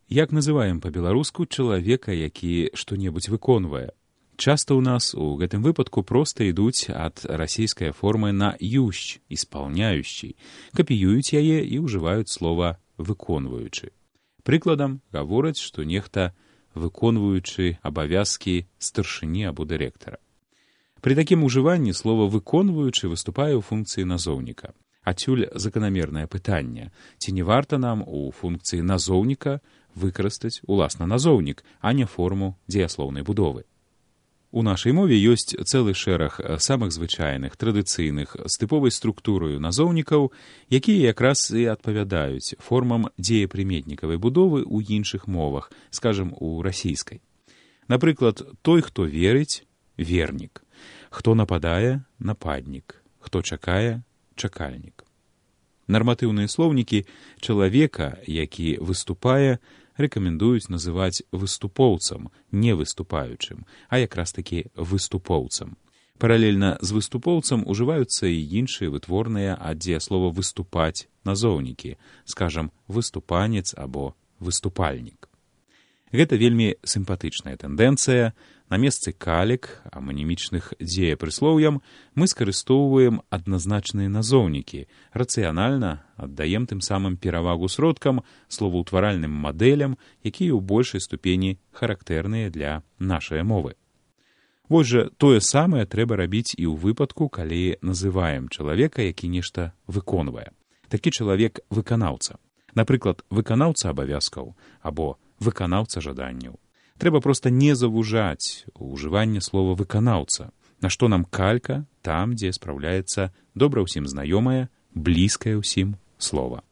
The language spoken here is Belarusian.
Як называем па-беларуску чалавека, які што-небудзь выконвае? Часта ў нас у гэтым выпадку проста ідуць ад расійскай формы на «ющ» – «исполняющий», капіююць яе і ўжываюць слова «выконваючы». Прыкладам гавораць, што нехта выконваючы абавязкі старшыні або дырэктара. Пры такім ужыванні слова «выконваючы» выступае ў функцыі назоўніка. Адсюль заканамернае пытанне, ці не варта нам у функцыі назоўніка выкарыстаць уласна назоўнік, а не форму дзеяслоўнай будовы. У нашай мове ёсць цэлы шэраг самых звычайных, традыцыйных, з тыповай структураю назоўнікаў, якія якраз і адпавядаюць формам дзеепрыметнікавай будовы ў іншых мовах, скажам, у расійскай. Напрыклад, той, хто верыць – вернік, хто нападае – нападнік, хто чакае – чакальнік. Нарматыўныя слоўнікі чалавека, які выступае, рэкамендуюць называць выступоўцам, не выступаючым, а якраз такі выступоўцам. Паралельна з выступоўцам ужываюцца і іншыя вытворныя ад дзеяслова «выступаць» назоўнікі, скажам, выступанец або выступальнік. Гэта вельмі сімпатычная тэндэнцыя. На месцы калек, аманімічных дзеепрыслоўям, мы скарыстоўваем адназначныя назоўнікі, рацыянальна аддаем тым самым перавагу сродкам, словаўтваральным мадэлям, якія ў большай ступені характэрныя для нашай мовы. Вось жа тое самае трэба рабіць і ў выпадку, калі называем чалавека, які нешта выконвае. Такі чалавек выканаўца. Напрыклад, выканаўца абавязкаў або выканаўца жаданняў. Трэба проста не завужаць ужыванне слова «выканаўца», на што нам калька там, дзе спраўляецца добра ўсім знаёмае, блізкае ўсім слова.